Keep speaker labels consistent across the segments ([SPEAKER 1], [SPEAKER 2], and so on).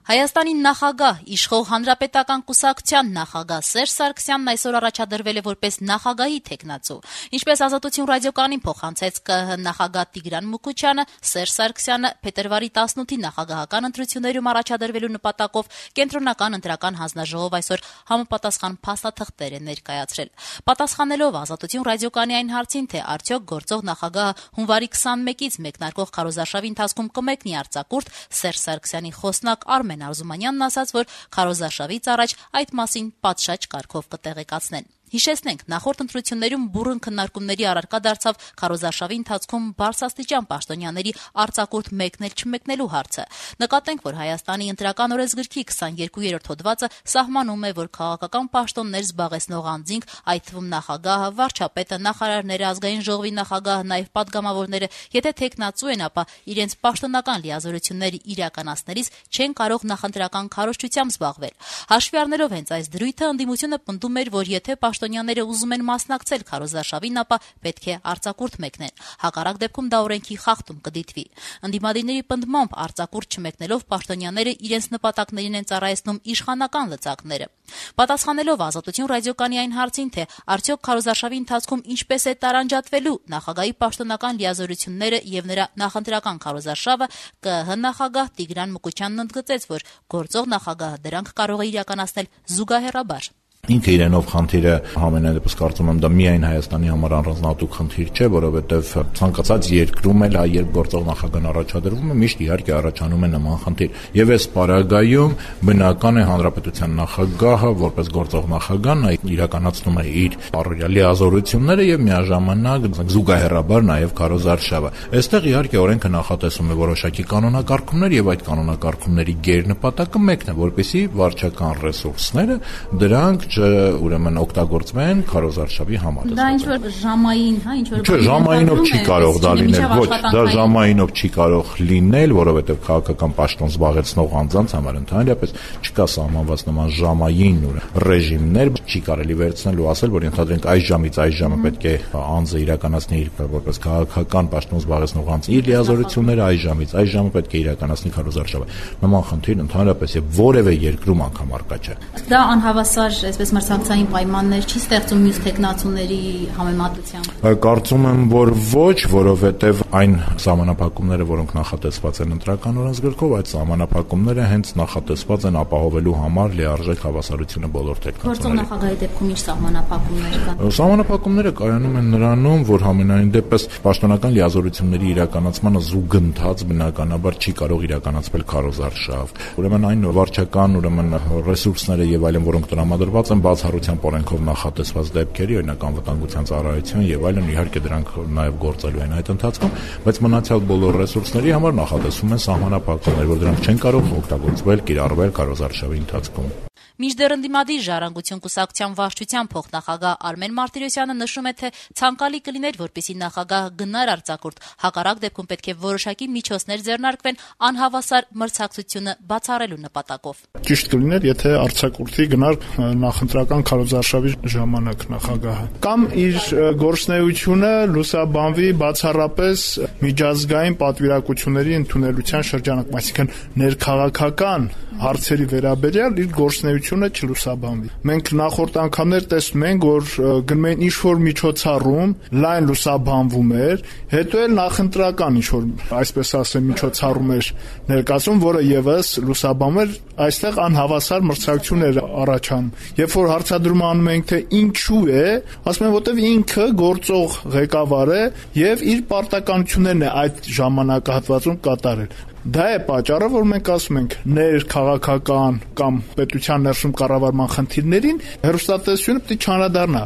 [SPEAKER 1] Հայաստանի նախագահ, իշխող հանրապետական կուսակցության նախագահ Սերժ Սարգսյանն այսօր առաջադրվել է որպես նախագահի թեկնածու։ Ինչպես Ազատություն ռադիոկանին փոխանցեց ԿՀ նախագահ Տիգրան Մուկուչյանը, Սերժ Սարգսյանը փետրվարի 18-ի նախագահական ընտրություններում առաջադրվելու նպատակով կենտրոնական ընտրական հանձնաժողով այսօր համապատասխան փաստաթղթեր է ներկայացրել։ Պատասխանելով Ազատություն ռադիոկանի այն հարցին, թե արդյոք գործող նախագահը հունվարի 21-ից մեկնարկող քարոզարշավի ընթացքում կմեկնի արձակուրդ, Սերժ Սարգսյանի խոսնակ Արմեն Արզումանյանն ասաց, որ քարոզարշավից առաջ այդ մասին պատշաճ կարգով կտեղեկացնեն։ Հիշեցնենք, նախորդ ընտրություններում բուռն քննարկումների առարկա դարձավ քարոզարշավի ընթացքում բարձրաստիճան պաշտոնյաների արձակուրդ մեկնել-չմեկնելու հարցը։ Նկատենք, որ Հայաստանի ընտրական օրենսգրքի 22-րդ հոդվածը սահմանում է, որ քաղաքական պաշտոններ զբաղեցնող անձինք, այդ թվում նախագահը, վարչապետը, նախարարները, ազգային ժողովի նախագահը, նաև պատգամավորները, եթե թեկնածու են, ապա իրենց պաշտոնական լիազորությունները իրականացնելիս չեն կարող նախընտրական քարոզչությամբ զբաղվել։ Հաշվի առնելով հենց այս դրույթը, ընդդիմությունը պնդում էր, որ եթե պաշտոնյաները ուզում են մասնակցել քարոզարշավին, ապա պետք է արձակուրդ մեկնեն։ Հակառակ դեպքում դա օրենքի խախտում կդիտվի։ Ընդդիմադիրների պնդմամբ արձակուրդ չմեկնելով պաշտոնյաները իրենց նպատակներին են ծառայեցնում իշխանական լծակները։ Պատասխանելով Ազատություն ռադիոկանի այն հարցին, թե արդյոք քարոզարշավի ընթացքում ինչպես է տարանջատվելու նախագահի պաշտոնական լիազորությունները եւ նրա նախընտրական քարոզարշավը, ԿՀ նախագահ Տիգրան Մուկուչյանն ընդգծեց, որ գործող նախագահը դրանք կարող է իրականացնել զուգահեռաբար։
[SPEAKER 2] Ինքը իրենով խնդիրը համենայնդեպս կարծում եմ դա միայն Հայաստանի համար առանձնահատուկ խնդիր չէ, որովհետև ցանկացած երկրում էլ երբ գործող նախագահն առաջադրվում է, միշտ իհարկե առաջանում է նման խնդիր։ Եվ այս պարագայում բնական է հանրապետության նախագահը, որպես գործող նախագահ, նա իրականացնում է իր առօրյա լիազորությունները եւ միաժամանակ զուգահեռաբար նաեւ քարոզարշավը։ Այստեղ իհարկե օրենքը նախատեսում է որոշակի կանոնակարգումներ եւ այդ կանոնակարգումների գերնպատակը մեկն է, որպեսզի վարչական ռեսուրսները դրանք ուրեմն օգտագործվեն քարոզարշավի համար։
[SPEAKER 1] Դա ինչ որ ժամային, ինչ որ
[SPEAKER 2] ժամայինով չի կարող դա լինել, ոչ, դա ժամայինով չի կարող լինել, որովհետև քաղաքական պաշտոն զբաղեցնող անձանց համար ընդհանրապես չկա սահմանված նման ժամային ռեժիմներ, չի կարելի վերցնել ու ասել, որ ընդհանրենք այս ժամից այս ժամը պետք է անձը իրականացնի իր որպես քաղաքական պաշտոն զբաղեցնող անձ իր լիազորությունները, այս ժամից այս ժամը պետք է իրականացնի քարոզարշավը։ Նման խնդիր ընդհանրապես եւ որևէ երկրում անգամ առկա չէ։
[SPEAKER 1] Դա անհավասար այսպես մրցակցային պայմաններ չի ստեղծում մյուս տեխնացուների համեմատությամբ։
[SPEAKER 2] Կարծում եմ, որ ոչ, որովհետև այն սահմանափակումները, որոնք նախատեսված են ընտրական օրենսգրքով, այդ սահմանափակումները հենց նախատեսված են ապահովելու համար լիարժեք հավասարությունը բոլոր տեխնացուների։
[SPEAKER 1] Գործող նախագահի դեպքում ինչ սահմանափակումներ կան։
[SPEAKER 2] Սահմանափակումները կայանում են նրանում, որ համենայն դեպս պաշտոնական լիազորությունների իրականացմանը զուգընթաց բնականաբար չի կարող իրականացվել քարոզարշավ։ Ուրեմն այն վարչական, ռեսուրսները եւ այլն, որոնք տրամադրված են բացառությամբ օրենքով նախատեսված դեպքերի, օրինակ անվտանգության ծառայություն եւ այլն, իհարկե դրանք նաեւ գործելու են այդ ընթացքում, բայց մնացյալ բոլոր ռեսուրսների համար նախատեսվում են սահմանափակումներ, որ դրանք չեն կարող օգտագործվել, կիրառվել քարոզարշավի ընթացքում։
[SPEAKER 1] Մինչդեռ ընդդիմադիր Ժառանգություն կուսակցության վարչության փոխնախագահ Արմեն Մարտիրոսյանը նշում է, թե ցանկալի կլիներ, որպեսզի նախագահը գնար արձակուրդ, հակառակ դեպքում պետք է որոշակի միջոցներ ձեռնարկվեն անհավասար մրցակցությունը բացառելու նպատակով։
[SPEAKER 3] Ճիշտ կլիներ, եթե արձակուրդի գնար նախընտրական քարոզարշավի ժամանակ նախագահը, կամ իր գործունեությունը լուսաբանվի բացառապես միջազգային պատվիրակությունների ընդունելության շրջանակում, այսինքն ներքաղաքական հարցերի վերաբերյալ իր գործունեությունը չլուսաբանվի։ Մենք նախորդ անգամներ տեսնում ենք, որ գնում են ինչ-որ միջոցառում, լայն լուսաբանվում էր, հետո էլ նախընտրական ինչ-որ, այսպես ասեմ, միջոցառում էր ներկայացում, որը եւս լուսաբանում էր, այստեղ անհավասար մրցակցություններ առաջանում։ Երբ որ հարցադրում անում ենք, թե ինչու է, ասում են, որտեվ ինքը գործող ղեկավար է եւ իր պարտականություններն է այդ ժամանակահատվածում կատարել։ Դա է պատճառը, որ մենք ասում ենք ներքաղաքական կամ պետության ներսում կառավարման խնդիրներին հեռուստատեսությունը պետք է չանդրադառնա։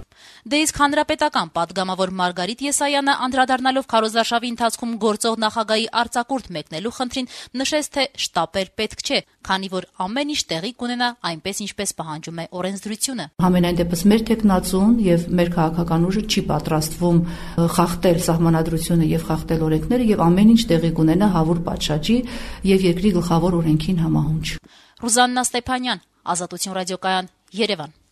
[SPEAKER 1] Դե իսկ հանրապետական պատգամավոր Մարգարիտ Եսայանը անդրադառնալով քարոզարշավի ընթացքում գործող նախագահի արձակուրդ մեկնելու խնդրին նշեց, թե շտապել պետք չէ, քանի որ ամեն ինչ տեղի կունենա այնպես, ինչպես պահանջում է օրենսդրությունը։
[SPEAKER 4] Համենայն դեպս մեր տեխնացուն եւ մեր քաղաքական ուժը չի պատրաստվում խախտել սահմանադրությունը եւ խախտել օրենքները եւ ամեն ինչ տեղի կունենա հավուր պատշաճի եւ երկրի գլխավոր օրենքին համահունչ։
[SPEAKER 1] Ռուզաննա Ստեփանյան, Ազատություն ռադիոկայան, Երևան։